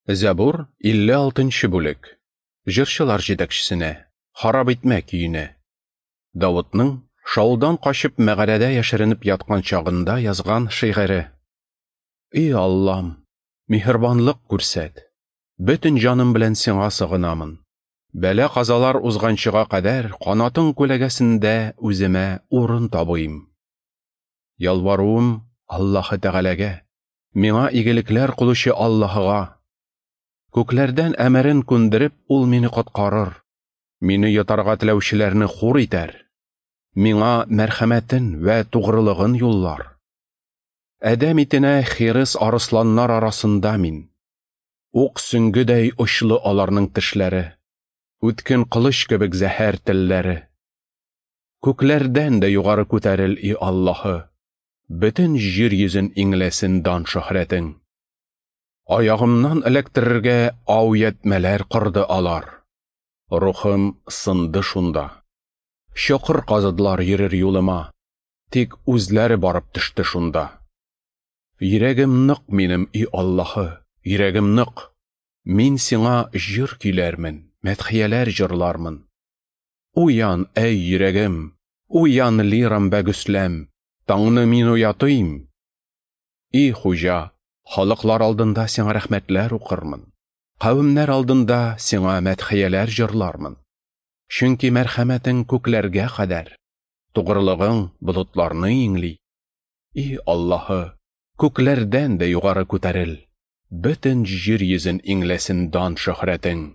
Зәбур, 56 нчы бүлек. Җырчылар җитәкчесенә, Харап итмә көенә. Давытның Шаулдан качып мәгарәдә яшеренеп яткан чагында язган шигыре. И Аллам, миһербанлык күрсәт. Бөтен җаным белән сиңа сыгынамын. Бәла-казалар узганчыга кадәр канатың күләгәсендә үземә урын табыйм. Ялваруым Аллаһы Тәгаләгә, миңа игелекләр кылучы Аллаһыга. Күкләрдән әмерен күндереп, ул мине коткарыр. Мине йотарга теләүчеләрне хур итәр. Миңа мәрхәмәтен вә тугрылыгын юллар. Адәм итенә хирыс арысланнар арасында мин. Ук сөңгедәй очлы аларның тешләре, үткен кылыч кебек зәһәр телләре. Күкләрдән дә югары күтәрел, и Аллаһы, бөтен җир йөзен иңләсен дан-шөһрәтең. Аягымнан эләктерергә ау ятьмәләр корды алар. Рухым сынды шунда. Чокыр казыдылар йөрер юлыма, тик үзләре барып төште шунда. Йөрәгем нык минем, и Аллаһы, йөрәгем нык. Мин сиңа җыр көйләрмен, мәдхияләр җырлармын. Уян, әй йөрәгем, уян, лирам вә гөсләм, таңны мин уятыйм. И Хуҗа, халыклар алдында сиңа рәхмәтләр укырмын, кавемнәр алдында сиңа мәдхияләр җырлармын. Чөнки мәрхәмәтең күкләргә кадәр, тугрылыгың болытларны иңли. И Аллаһы, күкләрдән дә югары күтәрел, бөтен җир йөзен иңләсен дан-шөһрәтең.